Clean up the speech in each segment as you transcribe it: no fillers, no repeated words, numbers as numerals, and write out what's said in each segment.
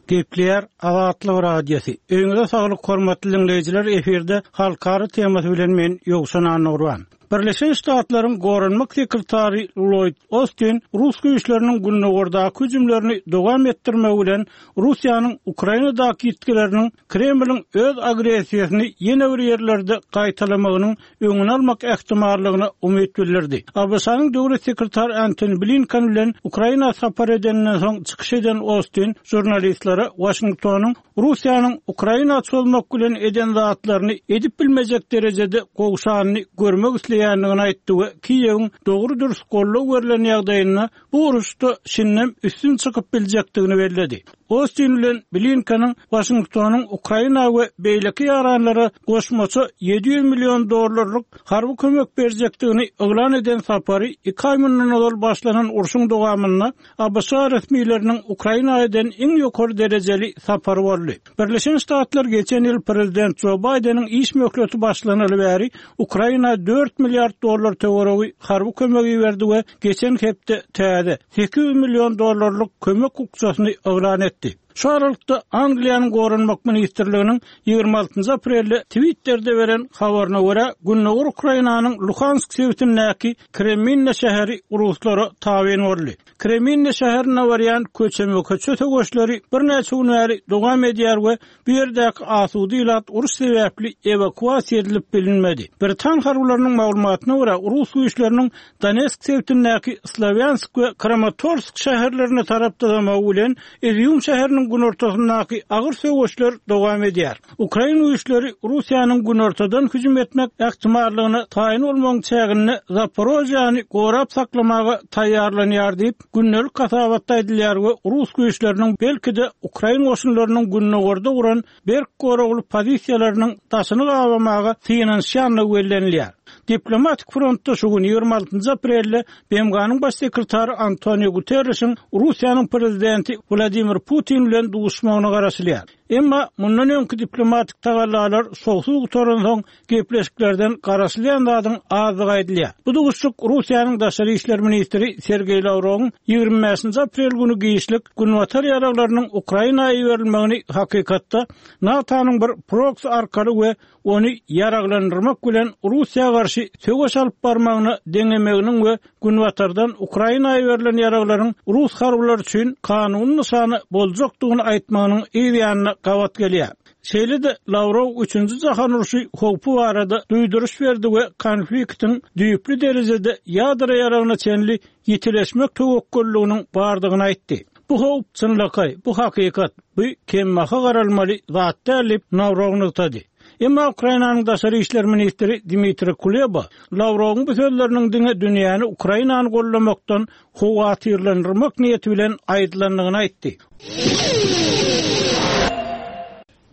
Gepleýär Azatlyk Radiosy. Öýüňize saglyk hormatly diňleýjiler efirde halkara temasy bilen men Ýowşan Annagurban. Birleşen Ştatlaryň Goranmak sekretary Lloýd Ostin rus güýçleriniň gündogardaky hüjümlerini dowam etdirmegi bilen Russiýanyň Ukrainadaky ýitgileriniň Kremliň öz agressiýasyny ýene bir ýerlerde gaýtalamagynyň öňüni almak ähtimallygyna umyt bildirdi. ABŞ-nyň döwlet sekretary Antoni Blinken bilen Ukraina sapar edeninden soň çykyş eden Ostin žurnalistlere Waşingtonyň Russiýanyň Ukraina çozmak bilen eden zatlaryny edip bilmejek derejede gowşanyny görmek isleýändigini aýtdy we Kiýewiň dogry-dürs goldaw berlen ýagdaýynda bu uruşda şindem üstün çykyp biljekdigini belledi. Ostin bilen Blinkeniň Waşingtonyň Ukraina we beýleki ýaranlara goşmaça 700 million dollarlyk harby kömek berjekdigini yglan eden sapary iki aý mundan ozal başlanan urşuň dowamynda ABŞ resmileriniň Ukraina eden iň ýokary derejeli sapary boldy. Birleşen Ştatlar geçen ýyl prezident Jo Baýdeniň iş möhleti başlanaly bäri Ukraina dört milliard dollar töweregi harby kömek iberdi we geçen hepde täze, 800 million dollarlyk kömek bukjasyny yglan etdi. Şu aralykda, Angliýanyň Goranmak ministrliginiň 26 aprelde Twitterde beren habaryna görä, gündogar Ukrainanyň Luhansk sebitindäki Kreminna şäheri ruslara tabyn boldy. Kreminna şäherine barýan köçeme-köçe söweşleri birnäçe gün bäri dowam edýär we bu ýerdäki asuda ilat uruş sebäpli ewakuasiýa edilip bilinmedi. Britan harbylarynyň maglumatyna görä, rus güýçleriniň Donetsk sebitindäki Slowýansk we Kramatorsk şäherlerine tarap dyzamagy bilen Izýum şäheriniň günortasyndaky agyr söweşler dowam edýär. Ukrain güýçleri Russiýanyň günortadan hüjüm etmek ähtimallygyna taýyn bolmagyň çäginde Zaporožýany gorap saklamaga taýýarlanýar diýip, gündelik hasabatda aýdylýar we rus güýçleriniň belki-de ukrain goşunlarynyň gündogarda guran berk goragly pozisiýalarynyň daşyny gabamaga synanyşýandygy bellenilýär. Diplomatik frontda şu gün, 26 aprelde BMG-niň Baş sekretary Antonio Guterrişiň Russiýanyň Prezidenti Wladimir Putin bilen duşmagyna garaşylýar. Emma mundan öňki diplomatik tagallalar şowsuz gutaransoň, gepleşiklerden garaşylýan zadyň azdygy aýdylýar. Bu duşuşyk Russiýanyň daşary işler ministri Sergeý Lawrowyň 25 aprel güni giçlik Günbatar ýaraglarynyň Ukraina iberilmegini hakykatda NATO-nyň bir proksi arkaly we ony ýaraglandyrmak bilen Russiýa garşy söweş alyp barmagyna deňemeginiň we Günbatardan Ukraina iberilen ýaraglaryň rus harbylary üçin kanuny nyşana boljakdygyny aýtmagynyň yz ýanyna gabat gelýär. Şeýle-de Lawrow Üçünji jahan urşy howpy barada duýduryş berdi we konfliktiň düýpli derejede ýadro ýaragyna çenli ýitileşmek töwekgelliginiň bardygyny aýtdy. Bu howp çynlakaý, bu hakykat, bu kembaha garalmaly zat däl diýip, Lawrow nygtady. Emma Ukrainanyň daşary işler ministri Dmitriý Kuleba Lawrowyň bu sözleriniň diňe dünýäni Ukrainany goldamakdan howatyrlandyrmak niýeti bilen aýdylandygyny aýtdy.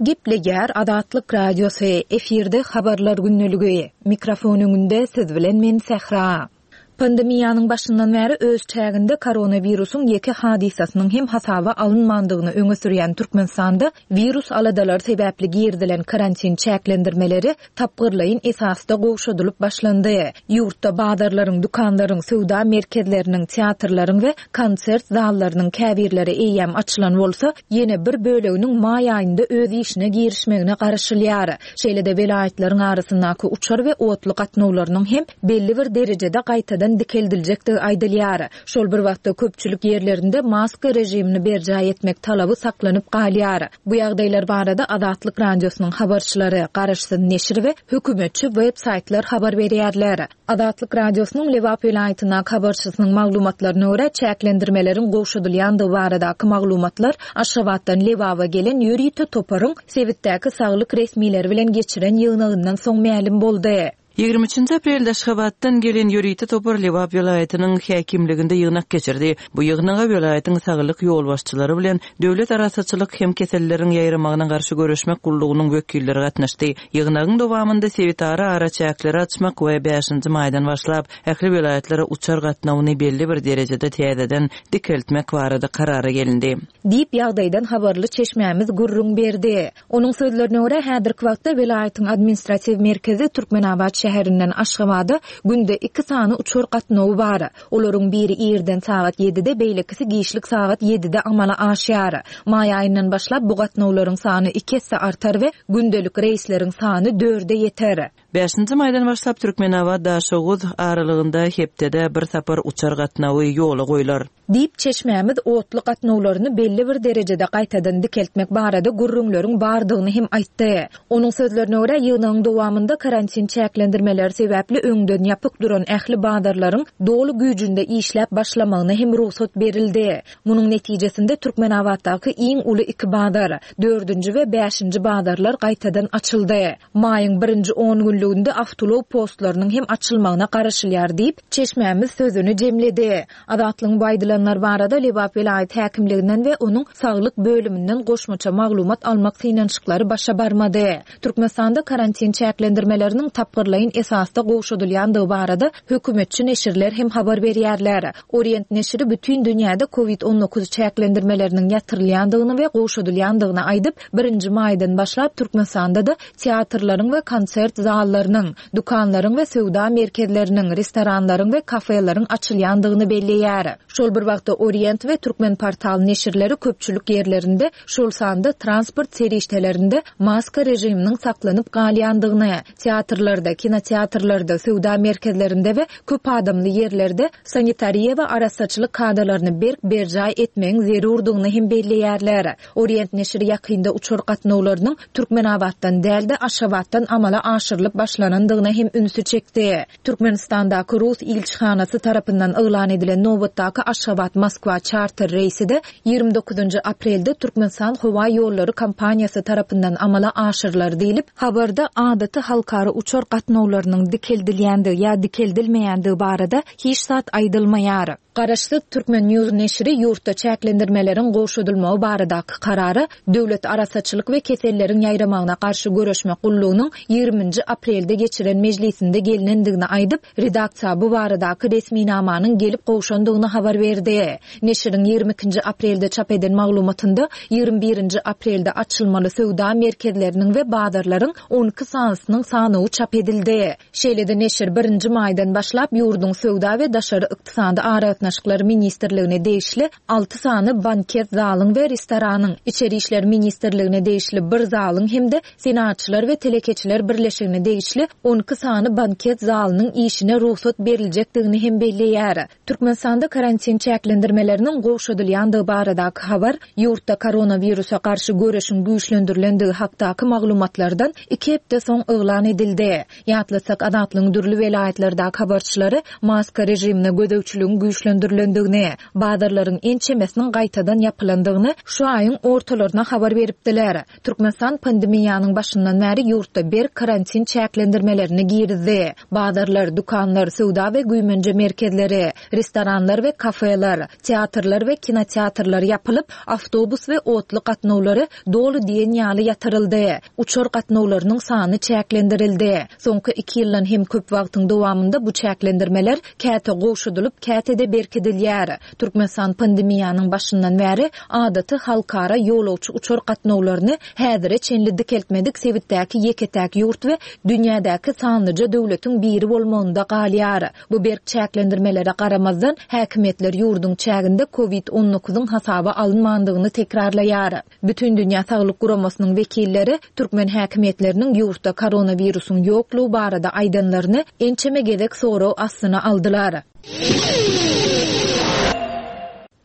Gepleýär Azatlyk Radiosy, efirde Habarlar gündeligi. Mikrofon öňünde siz bilen men Sähra. Pandemiýanyň başyndan bäri öz çäginde koronawirusyň ýeke hadysasynyň hem hasaba alynmandygyny öňe sürýän Türkmenistanda wirus aladalary sebäpli girizilen karantin çäklendirmeleri tapgyrlaýyn esasda gowşadylyp başlandy. Ýurtda bazarlaryň, dükanlaryň, söwda merkezleriniň, teatrlaryň we konsert zallarynyň käbirleri eýýäm açylan bolsa, ýene bir böleginiň maý aýynda öz işine girişmegine garaşylýar. Şeýle-de welaýatlaryň arasyndaky uçar we otly gatnawlarynyň hem belli bir derejede gaýtadan dikeldiljekdigi aýdylýar. Şol bir wagtda köpçülik ýerlerinde maska režimini berjaý etmek talaby saklanyp galýar. Bu ýagdaýlar barada Azatlyk Radiosynyň habarçylary, garaşsyz neşir we hökümetçi web saýtlar habar berýärler. Azatlyk Radiosynyň Lebap welaýatyndaky habarçysynyň maglumatlaryna görä, çäklendirmeleriň gowşadylýandygy baradaky maglumatlar Aşgabatdan Lebaba gelen ýörite toparyň sebitdäki saglyk resmileri bilen geçiren ýygnagyndan soň mälim boldy. 23-nji aprelde Aşgabatdan gelen ýörite topar Lebap welaýatynyň häkimliginde ýygnak geçirdi. Bu ýygnaga welaýatyň saglyk ýolbaşçylary bilen Döwlet arassaçylyk hem keselleriň ýaýramagyna garşy göreşmek gullugynyň wekilleri gatnaşdy. Ýygnagyň dowamynda sebitara araçäkleri açmak we bäşinji maýdan başlap, ähli welaýatlara uçar gatnawyny belli bir derejede täzeden dikeltmek barada karara gelindi. Diýip, ýagdaýdan habarly çeşmämiz gürrüň berdi. Onuň sözlerine görä, häzirki wagtda welaýatyň administratiw merkezi Türkmenabat şäherinde. şäherinden Aşgabada günde iki sany uçar gatnawy bar. Olaryň biri irden sagat ýedide, beýlekisi giçlik sagat ýedide amala aşýar. Maý aýyndan başlap bu gatnawlaryň sany iki esse artar we gündelik reýsleriň sany dörde ýeter. Bäşinji maýdan başlap Türkmenabat-Daşoguz aralygynda hepdede bir sapar uçar gatnawy ýola goýlar. Diýip, çeşmämiz otly gatnawlaryny belli bir derejede gaýtadan dikeltmek barada gürrüňleriň bardygyny hem aýtdy. Onuň sözlerine görä, ýygnagyň dowamynda karantin çäklendirmeleri sebäpli öňden ýapyk duran ähli bazarlaryň doly güýjünde işläp başlamagyna hem rugsat berildi. Munuň netijesinde Türkmenabatdaky iň uly iki bazar, dördünji we bäşinji bazarlar gaýtadan açyldy. Maýyň birinji on günlüginde awtoulag postlarynyň hem açylmagyna garaşylýar diýip, çeşmämiz sözüni jemledi. Azatlygyň bu aýdylanlar barada Lebap welaýat häkimliginden we onuň saglyk bölüminden goşmaça maglumat almak synanyşyklary başa barmady. Türkmenistanda karantin çäklendirmeleriniň tapgyrlaýyn esasda gowşadylýandygy barada hökümetçi neşirler hem habar berýärler. Orient neşiri bütin dünýäde covid 19 çäklendirmeleriniň ýatyrylýandygyny we gowşadylýandygyny aýdyp, birinji maýdan başlap Türkmenistanda-da teatrlaryň we konsert zallarynyň, dükanlaryň we söwda merkezleriniň, restoranlaryň we kafeleriň açylýandygyny belleýär. Şol bir wagtda Orient we Türkmenportal neşirleri köpçülik ýerlerinde, şol sanda transport serişdelerinde maska režiminiň saklanyp galýandygyny, teatrlarda, kinoteatrlarda, söwda merkezlerinde we köp adamly ýerlerde sanitariýa we arassaçylyk kadalaryny berk berjaý etmegiň zerurdygyny hem belleýärler. Orient neşiri ýakynda uçar gatnawlarynyň Türkmenabatdan däl-de, Aşgabatdan amala aşyrylyp başlanandygyna hem ünsi çekdi. Türkmenistandaky rus ilçihanasy tarapyndan yglan edilen nobatdaky Aşgabat-Moskwa çarter reýsi-de 29 aprelde Türkmenistan howa ýollary kompaniýasy tarapyndan amala aşyrylar diýlip, habarda adaty halkara uçar gatnawlarynyň dikeldilýändigi ýa dikeldilmeýändigi barada hiç zat aýdylmaýar. Garaşsyz Turkmen News neşiri ýurtda çäklendirmeleriň gowşadylmagy baradaky karara Döwlet arassaçylyk we keselleriň ýaýramagyna garşy göreşmek gullugynyň ýigriminji aprelde geçiren mejlisinde gelnendigini aýdyp, redaksiýa bu baradaky resminamanyň gelip gowşandygyny habar berdi. Neşiriň ýigrimi ikinji aprelde çap eden maglumatynda ýigrimi birinji aprelde açylmaly söwda merkezleriniň we bazarlaryň on iki sanysynyň sanawy çap edildi. Şeýle-de neşir birinji maýdan başlap ýurduň Söwda we daşary ykdysady aragatnaşyklar ministrligine degişli alty sany banket zalyň we restoranyň, Içeri işler ministrligine degişli bir zalyň hem-de Senagatçylar we telekeçiler birleşigine degişli 12 sany banket zalynyň işine rugsat beriljekdigini hem belleýär. Türkmenistanda karantin çäklendirmeleriniň gowşadylýandygy baradaky habar ýurtda koronawirusa garşy göreşiň güýçlendirilendigi hakdaky maglumatlardan iki hepde soň yglan edildi. Ýatlatsak, Azatlygyň dürli welaýatlardaky habarçylary maska režimine gözegçiligiň güýçlendirilendigini, bazarlaryň ençemesiniň gaýtadan ýapylandygyny şu aýyň ortalaryna habar beripdiler. Türkmenistan pandemiýanyň başyndan bäri ýurtda berk karantin çäklendirmelerini girizdi. Bazarlar, dükanlar, söwda we güýmenje merkezleri, restoranlar we kafeler, teatrlar we kinoteatrlar ýapylyp, awtobus we otly gatnawlary doly diýen ýaly ýatyryldy. Uçar gatnawlarynyň sany çäklendirildi. Soňky iki ýyldan hem köp wagtyň dowamynda bu çäklendirmeler käte gowşadylyp, käte-de berkidilýär. Türkmenistan pandemiýanyň başyndan bäri adaty halkara ýolagçy uçar gatnawlaryny häzire çenli dikeltmedik sebitdäki ýeke-täk ýurt we dünýädäki sanlyja döwletiň biri bolmagynda galýar. Bu berk çäklendirmelere garamazdan, häkimiýetler ýurduň çäginde covid on dokuzyň hasaba alynmandygyny tekrarlaýar. Bütindünýä Saglyk Guramasynyň wekilleri türkmen häkimiýetleriniň ýurtda koronawirusyň ýoklugy barada aýdanlaryny ençeme gezek sorag astyna aldylar.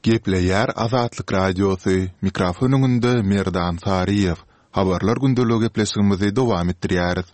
Gepleýär Azatlyk Radiosy, mikrofon öňünde Merdan Saryýew. Habarlar gündeligi gepleşigimizi dowam etdirýäris.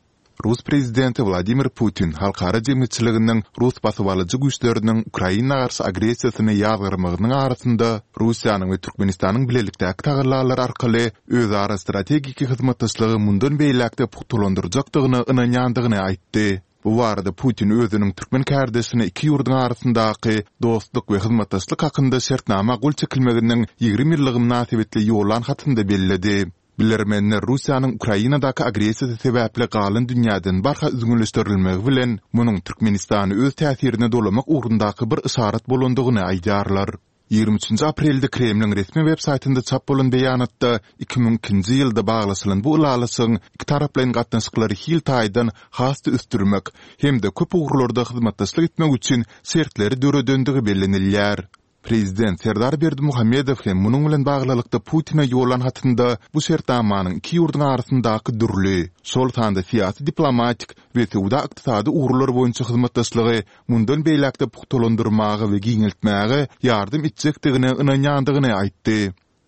Rus prezidenti Wladimir Putin halkara jemgyýetçiliginiň rus basybalyjy güýçleriniň Ukraina garşy agressiýasyny ýazgarmagynyň arasynda Russiýanyň we Türkmenistanyň bilelikdäki tagallalary arkaly özara strategik hyzmatdaşlygy mundan beýläk-de pugtalandyrjakdygyna ynanýandygyny aýtdy. Bu barada Putin özüniň türkmen kärdeşine iki ýurduň arasyndaky dostluk we hyzmatdaşlyk hakynda şertnama gol çekilmeginiň 20 ýyllygy mynasybetli ýollan hatynda belledi. Bilermenler Russiýanyň Ukrainadaky agressiýasy sebäpli galan dünýäden barha üzňeleşdirilmegi bilen, munuň Türkmenistany öz täsirine dolamak ugrundaky bir yşarat bolandygyny aýdýarlar. 23 nji aprelde Kremliň resmi web-saýtynda çap bolan beýanatda 2002-nji ýylda baglaşylan bu ylalaşygyň ikitaraplaýyn gatnaşyklary hil taýdan has-da ösdürmek hem-de köp ugurlarda hyzmatdaşlyk etmek üçin şertleri döredendigi bellenilýär. Prezident Serdar Berdimuhamedow hem munuň bilen baglylykda Putine ýollan hatynda bu şertnamanyň iki ýurduň arasyndaky dürli, şol sanda syýasy-diplomatik we söwda-ykdysady ugurlar boýunça hyzmatdaşlygy mundan beýläk-de pugtalandyrmaga we giňeltmäge ýardam etjekdigine ynanýandygyny aýtdy.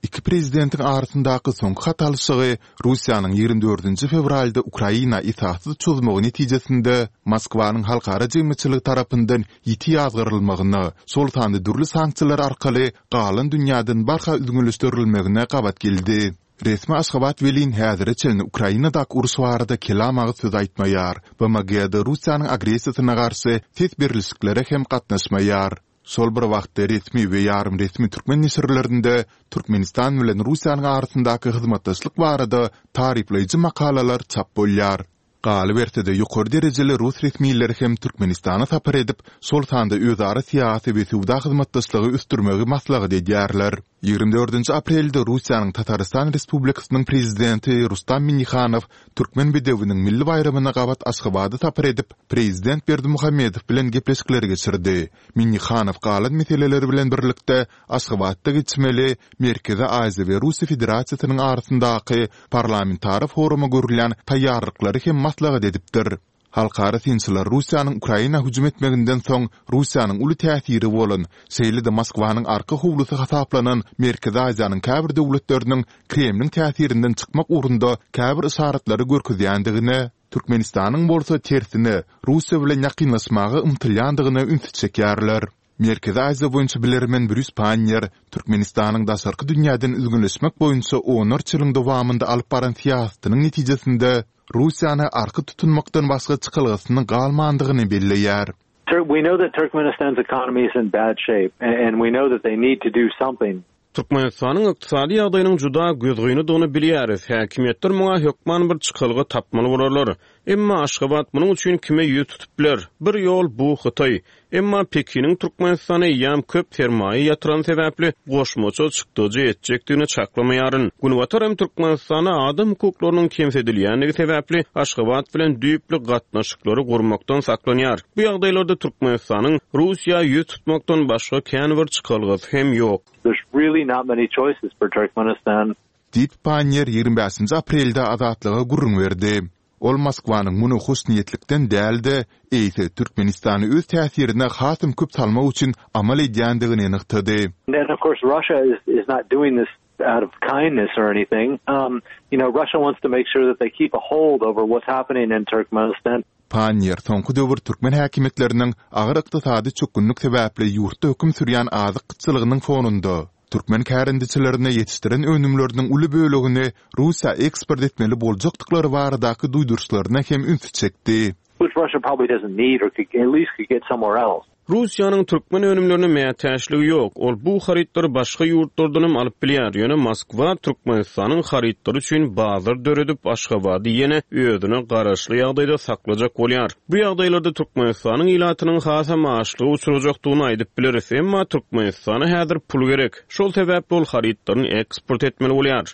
Iki prezidentiň arasyndaky soňky hat alyşygy Russiýanyň 24 fewralda Ukraina esassyz çozmagy netijesinde Moskwanyň halkara jemgyýetçiligi tarapyndan ýiti ýazgarylmagyna, şol sanda dürli sanksiýalar arkaly galan dünýäden barha üzňeleşdirilmegine gabat geldi. Resmi Aşgabat welin häzire çenli Ukrainadaky uruş barada kelam agyz söz aýtmaýar, BMG-de Russiýanyň agressiýasyna garşy ses berlişiklere hem gatnaşmaýar. Şol bir wagtda resmi we ýarym resmi türkmen neşirlerinde Türkmenistan bilen Russiýanyň arasyndaky hyzmatdaşlyk barada taryplaýjy makalalar çap bolýar. Galyberse-de, ýokary derejeli rus resmileri hem Türkmenistana sapar edip, şol sanda özara syýasy we söwda hyzmatdaşlygy ösdürmegi maslahat edýärler. 24 aprelde Russiýanyň Tatarystan Respublikasynyň Prezidenti Rustam Minnihanow Türkmen bedewiniň milli baýramyna gabat Aşgabada sapar edip, prezident Berdimuhamedow bilen gepleşikleri geçirdi. Minnihanow galan meseleler bilen birlikde Aşgabatda geçmeli Merkezi Aziýa we Russiýa Federasiýasynyň arasyndaky parlamentara foruma görülýän taýýarlyklary hem maslahat edipdir. Halkara synçylar Russiýanyň Ukraina hüjüm etmeginden soň Russiýanyň uly täsiri bolan, şeýle-de Moskwanyň arka howlusy hasaplanan Merkezi Aziýanyň käbir döwletleriniň Kremliň täsirinden çykmak ugrunda käbir yşaratlary görkezýändigine, Türkmenistanyň bolsa tersine, Russiýa bilen ýakynlaşmaga ymtylýandygyna ünsi çekýärler. Merkezi Aziýa boýunça bilermen Brýus Panniýer Türkmenistanyň daşarky dünýäden üzňeleşmek boýunça onlarça ýylyň dowamynda alyp baran syýasatynyň netijesinde Russiýany arka tutunmakdan başga çykalgasynyň galmandygyny belleýär. We know that Turkmenistan's economy is in bad shape and we know that they need to do something. Türkmenistanyň ykdysady ýagdaýynyň juda gözgynydygyny bilýäris, häkimiýetler muňa hökman bir çykalga tapmaly bolarlar. Emma Aşgabat munuň üçin kime ýüz tutup biler? Bir ýol, bu Hytaý. Emma Pekiniň Türkmenistana eýýäm köp sermaýa ýatyrany sebäpli, goşmaça çykdajy etjekdigini çaklamaýaryn. Günbatar hem Türkmenistanda adam hukuklarynyň kemsidilýändigi sebäpli, Aşgabat bilen düýpli gatnaşyklary gurmakdan saklanýar. Bu ýagdaýlarda Türkmenistanyň Russiýa ýüz tutmakdan başga kän bir çykalgasy hem ýok. There's really not many choices for Turkmenistan. Diýip, Panniýer 25 nji aprelde Azatlyga gürrüň berdi. Ol Moskwanyň muny hoşniýetlikden däl-de, eýse Türkmenistany öz täsirine hasam köp salmak üçin amal edýändigini nygtady. And of course Russia is is not doing this out of kindness or anything. You know, Russia wants to make sure that they keep a hold over what's happening in Turkmenistan. Panniýer soňky döwür türkmen häkimiýetleriniň agyr ykdysady çökgünlik sebäpli ýurtda höküm sürýän azyk gytçylygynyň fonunda, türkmen kärendeçilerine ýetişdiren önümleriniň uly bölegini Russiýa eksport etmeli boljakdyklary baradaky duýduryşlaryna hem ünsi çekdi. Which Russia probably doesn't need or could at least could get somewhere else. Russiýanyň türkmen önümlerine mätäçligi ýok, ol bu harytlary başga ýurtlardanam alyp bilýär, ýöne Moskwa Türkmenistanyň harytlary üçin bazar döredip, Aşgabady ýene özüne garaşly ýagdaýda saklajak bolýar. Bu ýagdaýlarda Türkmenistanyň ilatynyň hasam açlyga uçrajakdygyny aýdyp bileris, emma Türkmenistana häzir pul gerek, şol sebäpli ol harytlaryny eksport etmeli bolýar.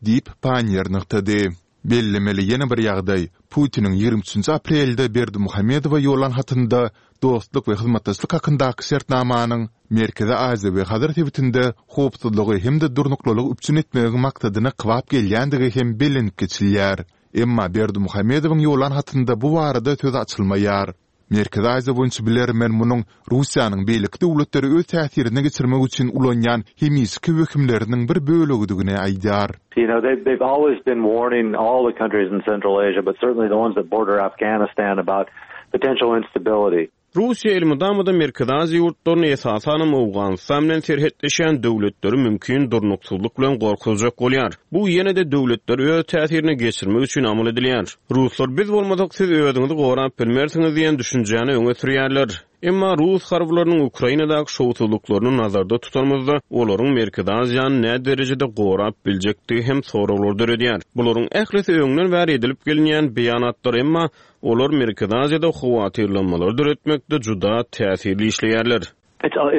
Diýip, Panniýer nygtady. Bellemeli ýene bir ýagdaý, Putiniň 23 nji aprelde Berdimuhamedowa ýollan hatynda dostluk we hyzmatdaşlyk hakyndaky şertnamanyň Merkezi Aziýa we Hazar sebitinde howpsuzlygy hem-de durnuklylygy üpjün etmegiň maksadyna kybap gelýändigi hem bellenip geçilýär. Emma Berdimuhamedowyň ýollan hatynda bu barada söz açylmaýar. Merkezi Aziýa boýunça bilermen munuň Russiýanyň beýleki döwletleri öz täsirine geçirmek üçin ulanýan hemişeki wehimleriniň bir bölegidigini aýdýar. You know, they've, they've always been warning all the countries in Central Asia, but certainly the ones that border Afghanistan about potential instability. Russiýa elmydama-da Merkezi Aziýa ýurtlaryny, esasanam Owganystan bilen serhetleşýän döwletleri mümkin durnuksyzlyk bilen gorkuzjak bolýar. Bu ýene-de döwletleri öz täsirine geçirmek üçin amal edilýär. Ruslar biz bolmasak siz özüňizi gorap bilmersiňiz diýen düşünjäni öňe sürýärler. Emma rus harbylarynyň Ukrainadaky şowsuzlyklaryny nazarda tutanymyzda, olaryň Merkezi Aziýany näderejede gorap biljekdigi hem soraglary döredýär. Bularyň ählisi öňden bäri edilip gelinýän beýanatlar, emma olar Merkezi Aziýada howatyrlanmalary döretmekde juda täsirli işleýärler.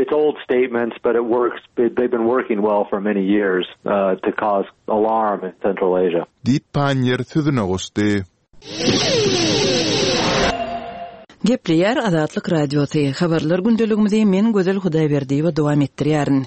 It's old statements, but it works. They've been working well for many years to cause alarm in Central Asia. Diýip, Panniýer sözüne goşdy. Gepleýär Azatlyk Radiosy, Habarlar gündeligimizi men Gözel Hudaýberdiýewa dowam etdirýärin.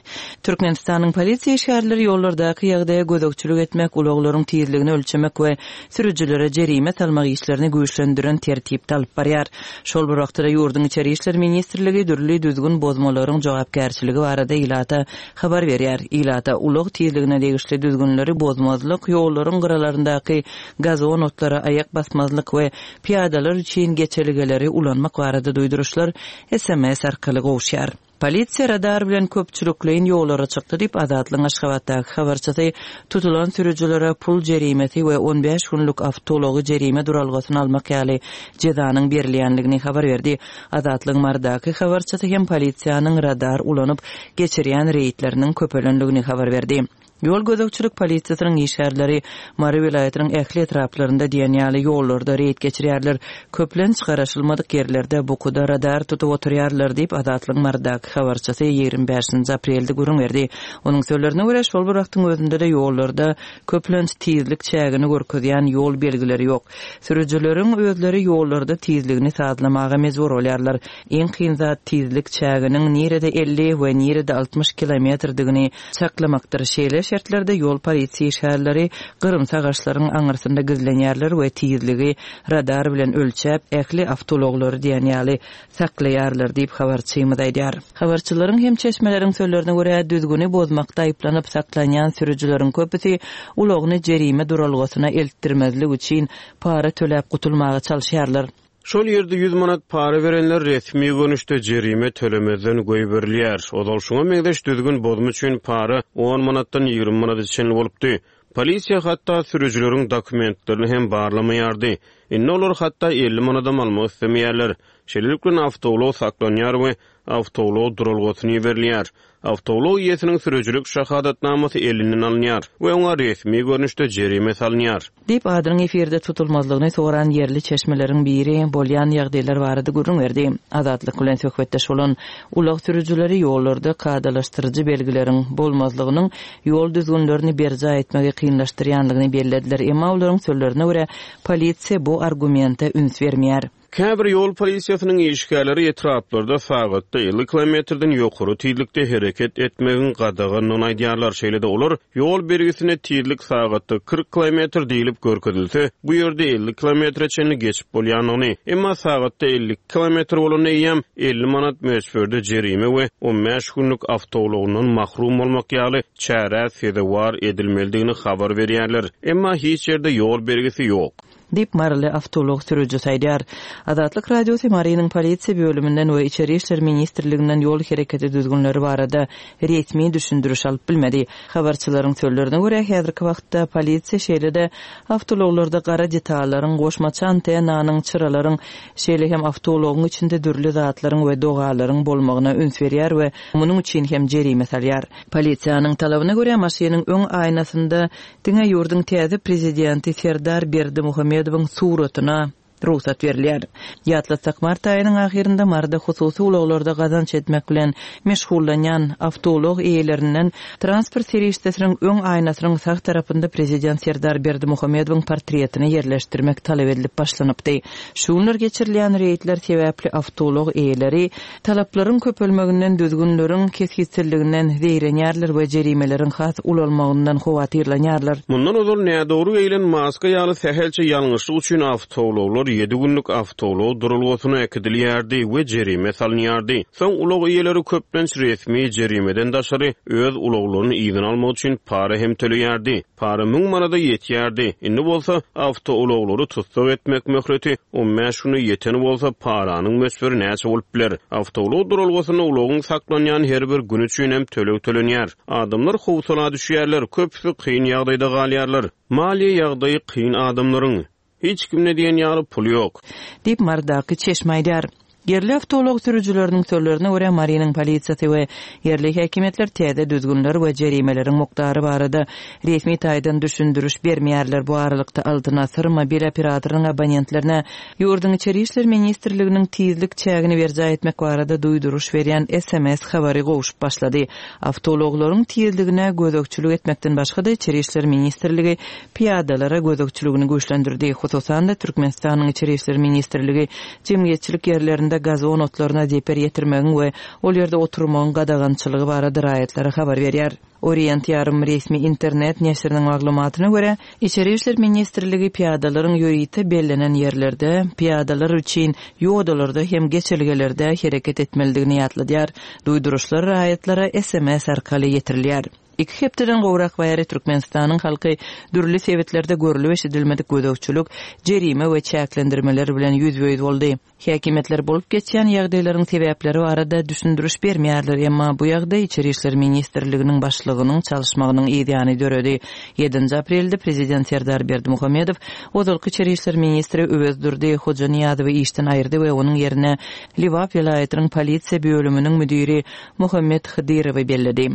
Türkmenistanyň polisiýa işgärleri ýollardaky ýagdaýa gözegçilik etmek, ulaglaryň tizligini ölçemek we sürüjilere jerime salmak işlerini güýçlendiren tertipde alyp barýar. Şol bir wagtda-da ýurduň Içeri işler ministrligi dürli düzgün bozmalaryň jogapkärçiligi barada ilata habar berýär. Ilata ulag tizligine degişli düzgünleri bozmazlyk, ýollaryň gyralaryndaky gazon otlara aýak basmazlyk we pyýadalar üçin geçelgeleri ulanmak barada duýduryşlar sms arkaly gowuşýar. Polisiýa radar bilen köpçülikleýin ýollara çykdy diýip, Azatlygyň Aşgabatdaky habarçysy tutulan sürüjilere pul jerimesi we 15 günlük awtoulagy jerime duralgasyna almak ýaly jezanyň berilýändigini habar berdi. Azatlygyň Marydaky habarçysy hem polisiýanyň radar ulanyp geçirýän reýdleriniň köpelendigini habar berdi. Ýol gözegçilik polisiýasynyň işgärleri Mary welaýatynyň ähli etraplarynda diýen ýaly ýollarda reýd geçirýärler. Köplenç garaşylmadyk ýerlerde bukuda radar tutup oturýarlar diýip, Azatlygyň Marydaky habarçysy 25-nji aprelde gürrüň berdi. Onuň sözlerine görä, şol bir wagtyň özünde-de ýollarda köplenç tizlik çägini görkezýän ýol belgileri ýok. Sürüjileriň özleri ýollarda tizligini sazlamaga mejbur bolýarlar. Iň kyn zat tizlik çäginiň nirede 50 we nirede 60 kilometrdigini çaklamakdyr. Şeýle şertlerde ýol polisiýa işgärleri gyrymsy agaçlaryň aňyrsynda gizlenýärler we tizligi radar bilen ölçäp, ähli awtoulaglary diýen ýaly saklaýarlar diýip, habarçymyz aýdýar. Habarçylaryň hem çeşmeleriň sözlerine görä, düzgüni bozmakda aýyplanyp saklanýan sürüjileriň köpüsi ulagyny jerime duralgasyna eltdirmezlik üçin para töläp gutulmaga çalyşýarlar. Şol ýerde 100 manat para berenler resmi görnüşde jerime tölemezden goýberilýär. Ozal şuňa meňzeş düzgün bozma üçin para on manatdan 20 manada çenli bolupdy. Polisiýa hatda sürüjileriň dokumentlerini hem barlamaýardy. Indi olar hatda 50 manadam almak islemeýärler. Şeýlelik bilen awtoulag saklanýar we awtoulag duralgasyna iberilýär. Awtoulag eýesiniň sürüjilik şahadatnamasy elinden alynýar we oňa resmi görnüşde jerime salynýar. Diýip, adynyň efirde tutulmazlygyny soran ýerli çeşmeleriň biri bolýan ýagdaýlar barada gürrüň berdi. Azatlyk bilen söhbetdeş bolan ulag sürüjileri ýollarda kadalaşdyryjy belgileriň bolmazlygynyň ýol düzgünlerini berjaý etmegi kynlaşdyrýandygyny bellediler, emma olaryň sözlerine görä, polisiýa bu argumente üns bermeýär. Käbir ýol polisiýasynyň işgärleri etraplarda sagatda 50 kilometrden ýokary tizlikde hereket etmegiň gadagandygyny aýdýarlar. Şeýle-de olar ýol belgisinde tizlik sagatda 40 kilometr diýlip görkezilse, bu ýerde 50 kilometre çenli geçip bolýandygyny, emma sagatda 52 kilometr bolanda eýýäm 50 manat möçberde jerime we 15 günlük awtoulagyndan mahrum bolmak ýaly çärä sezewar edilmelidigini habar berýärler. Emma hiç ýerde ýol belgisi ýok. Diýip, maryly awtoulag sürüjisi aýdýar. Azatlyk Radiosy Marynyň polisiýa bölüminden we Içeri işler ministrliginden ýol hereketi düzgünleri barada resmi düşündiriş alyp bilmedi. Habarçylaryň sözlerine görä, häzirki wagtda polisiýa şeýle-de awtoulaglarda gara detallaryň, goşmaça antennanyň, çyralaryň, şeýle hem awtoulagyň içinde dürli zatlaryň we dogalaryň bolmagyna üns berýär we munuň üçin hem jerime salýar. Polisiýanyň talabyna görä, maşynyň öň aýnasynda Diňe ýurduň täze prezidenti Serdar Berdimuhamedowyň suratyna rugsat berilýär. Ýatlatsak, mart aýynyň ahyrynda Maryda hususy ulaglarda gazanç etmek bilen meşgullanýan awtoulag eýelerinden transport serişdesiniň öň aýnasynyň sag tarapynda prezident Serdar Berdimuhamedowyň portretini ýerleşdirmek talap edilip başlanypdy. Şu günler geçirilýän reýdler sebäpli awtoulag eýeleri Talaplaryň köpelmeginden, düzgünleriň kesgitsizliginden zeýrenýärler we jerimeleriň has ulalmagyndan howatyrlanýarlar. Mundan ozal nädogry geýlen maska ýaly sähelçe ýalňyşlyk üçin awtoulaglar ýedi günlük awtoulag duralgasyna äkidilýärdi we jerime salynýardy. Soň ulag eýeleri köplenç resmi jerimeden daşary öz ulaglaryny yzyna almak üçin para hem töleýärdi. Para müň manada ýetýärdi. Indi bolsa, awtoulaglary tussag etmek möhleti on bäş güne ýeten bolsa, paranyň möçberi näçe bolup biler? Awtoulag duralgasynda ulagyň saklanýan her bir güni üçin hem töleg tölenýär. Adamlar howsala düşýärler, köpüsi kyn ýagdaýda galýarlar. Maliýe ýagdaýy kyn adamlaryň. Hiç kimde diýen ýaly pul ýok. Diýip, Marydaky çeşme aýdýar. Ýerli awtoulag sürüjileriniň sözlerine görä, Marynyň polisiýasy we ýerli häkimiýetler täze düzgünler we jerimeleriň mukdary barada resmi taýdan düşündiriş bermeýärler. Bu aralykda, Altyn asyr mobil operatorynyň abonentlerine ýurduň Içeri işler ministrliginiň tizlik çägini berjaý etmek barada duýduryş berýän sms habary gowşup başlady. Awtoulaglaryň tizligine gözegçilik etmekden başga-da, Içeri işler ministrligi pyýadalara gözegçiligini güýçlendirdi. Hususan-da, Türkmenistanyň Içeri işler ministrligi jemgyýetçilik ýerlerinde gazon otlaryna zeper ýetirmegiň we ol ýerde oturmagyň gadagançylygy barada raýatlara habar berýär. Orient ýarym resmi internet neşiriniň maglumatyna görä, Içeri işler ministrligi pyýadalaryň ýörite bellenen ýerlerde, pyýadalar üçin ýodalarda hem geçelgelerde hereket etmelidigini ýatladýar. Duýduryşlar raýatlara sms arkaly ýetirilýär. Iki hepdeden gowrak bäri Türkmenistanyň halky dürli sebitlerde görlüp-eşidilmedik gözegçilik, jerime we çäklendirmeler bilen ýüzbe-ýüz boldy. Häkimiýetler bolup geçýän ýagdaýlaryň sebäpleri barada düşündiriş bermeýärler, emma bu ýagdaý Içeri işler ministrliginiň başlygynyň çalyşmagynyň yzýany döredi. Ýedinji aprelde prezident Serdar Berdimuhamedow ozalky içeri işler ministri Öwezdurdy Hojanyýazowy işden aýyrdy we onuň ýerine Lebap welaýatynyň polisiýa bölüminiň müdiri Muhammet Hydyrowy belledi.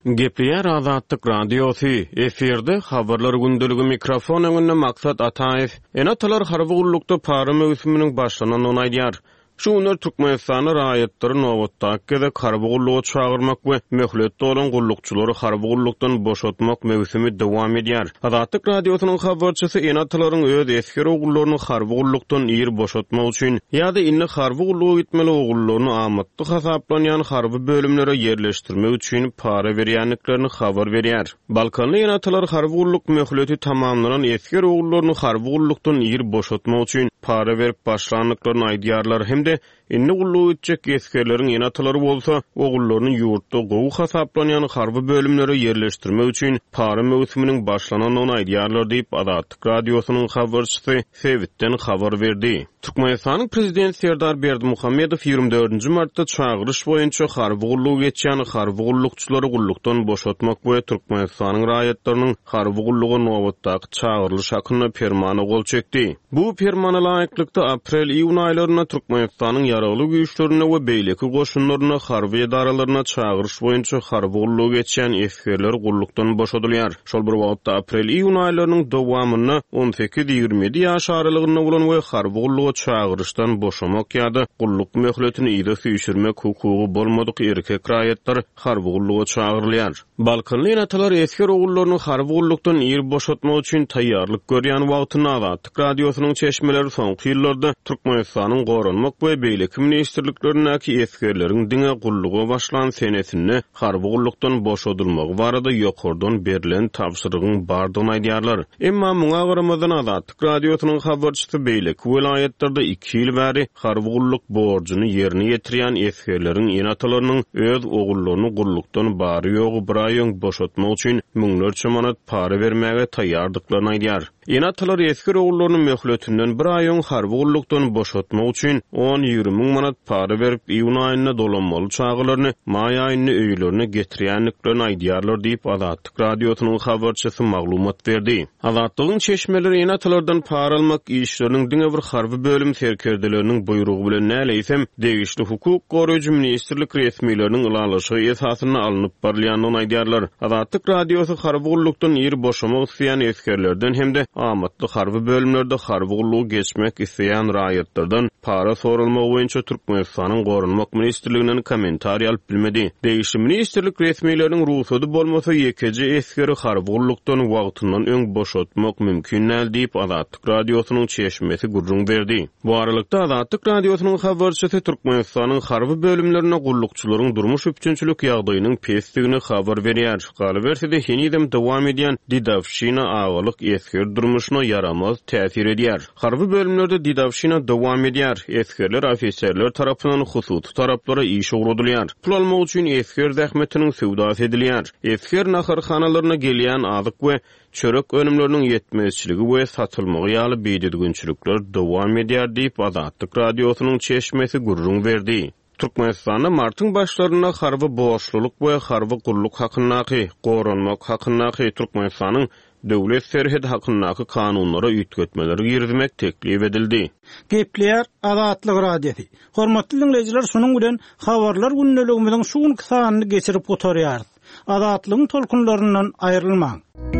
Gepleýär Azatlyk Radiosy, efirde Habarlar gündeligi mikrofon öňünde Maksat Ataýew. Ene-atalar harby gullukda para möwsüminiň başlanandygyny aýdýar. Şu günler Türkmenistanda raýatlary nobatdaky gezek harby gulluga çagyrmak we möhlet dolan gullukçylary harby gullukdan boşatmak möwsümi dowam edýär. Azatlyk Radiosynyň habarçysy ene-atalaryň öz esger ogullaryny harby gullukdan ir boşatmak üçin ýa-da indi harby gulluga gitmeli ogullaryny amatly hasaplanýan harby bölümlere ýerleşdirmek üçin para berýändiklerini habar berýär. Balkanly ene-atalar harby gulluk möhleti tamamlanan esger ogullaryny harby gullukdan ir boşatmak üçin para berip başlandyklaryny aýdýarlar hem-de Indi gulluga gitjek esgerleriň ene-atalary bolsa, ogullaryny ýurtda gowy hasaplanýan harby bölümlere ýerleşdirmek üçin para möwsüminiň başlanandygyny aýdýarlar diýip, Azatlyk Radiosynyň habarçysy sebitden habar berdi. Türkmenistanyň prezidenti Serdar Berdimuhamedow 24 nji martda çagyryş boýunça harby gullugy geçýän harby gullukçylary gullukdan boşatmak we Türkmenistanyň raýatlarynyň harby gulluga nobatdaky çagyrylyş hakynda Permana gol çekdi. Bu Permana laýyklykda, aprel-iýun aýlarynda Türkmenistanyň Ýaragly Güýçlerinde we beýleki goşunlarynda harby edaralarynda çagyryş boýunça harby gullugy geçýän esgerler gullukdan boşadylýar. Şol bir wagtda, aprel-iýun aýlarynyň dowamynda on sekiz-ýigrimi ýedi ýaş aralygynda bolan we harby gulluga çagyryşdan boşamak ýa-da gulluk möhletini yza süýşürmek hukugy bolmadyk erkek raýatlar harby gulluga çagyrylýar. Balkanly ene-atalar esger ogullaryny harby gullukdan ir boşatmak üçin taýýarlyk görýän wagtynda Azatlyk Radiosynyň çeşmeleri soňky ýyllarda Türkmenistanyň Goranmak we beýleki ministrliklerindäki esgerleriň diňe gulluga başlan senesinde harby gullukdan boşadylmagy barada ýokardan berlen tabşyrygyň bardygyny aýdýarlar. Emma muňa garamazdan Azatlyk Radiosynyň habarçysy beýleki welaýatlarda iki ýyl bäri harby gulluk borjuny ýerine ýetirýän esgerleriň ene-atalarynyň öz ogullaryny gullukdan bary-ýogy bir aý öň boşatmak üçin müňlerçe manat para bermäge taýýardyklaryny aýdýar. Ene-atalar esger ogullaryny möhletinden bir aý öň harby gullukdan boşatmak üçin on-ýigrimi müň manat para berip, iýun aýynda dolanmaly çagalaryny maý aýynda öýlerine getirýändiklerini aýdýarlar diýip, Azatlyk Radiosynyň habarçysy maglumat berdi. Azatlygyň çeşmeleri ene-atalardan para almak işleriniň diňe bir harby bölüm serkerdeleriniň buýrugy bilen däl, eýsem, degişli hukuk goraýjy ministrlik resmileriniň ylalaşygy esasynda alnyp barylýandygyny aýdýarlar. Azatlyk Radiosy harby gullukdan ir boşamak isleýän esgerlerden hem-de amatly harby bölümlerde harby gullugy geçmek isleýän raýatlardan para soralmagy boýunça Türkmenistanyň Goranmak ministrliginden kommentariý alyp bilmedi. Degişli ministrlik resmileriniň rugsady bolmasa, ýekeje esgeri harby gullukdan wagtyndan öň boşatmak mümkin däl diýip, Azatlyk Radiosynyň çeşmesi gürrüň berdi. Bu aralykda, Azatlyk Radiosynyň habarçysy Türkmenistanyň harby bölümlerinde gullukçylaryň durmuş üpjünçilik ýagdaýynyň pesdigini habar berýär. Galyberse-de, henizem dowam edýän dedowşina agalyk esger durmuşyna ýaramaz täsir edýär. Harby bölümlerde dedowşina dowam edýär, esgerler ofiserler tarapyndan hususy taraplara işe ugradylýar. Pul almak üçin esger zähmetiniň söwdasy edilýär. Esger naharhanalaryna gelýän azyk we çörek önümleriniň ýetmezçiligi we satylmagy ýaly bidüzgünçilikler dowam edýär diýip, Azatlyk Radiosynyň çeşmesi gürrüň berdi. Türkmenistanda martyň başlarynda harby borçlulyk we harby gulluk hakyndaky, goranmak hakyndaky Türkmenistanyň. Döwlet serhedi hakyndaky kanunlara üýtgetmeler girizmek teklip edildi. Gepleýär Azatlyk Radiosy. Hormatly diňleýjiler şunuň bilen Habarlar gündeligimiziň şu günki sanyny geçirip gutarýarys. Azatlygyň tolkunlaryndan aýrylmaň.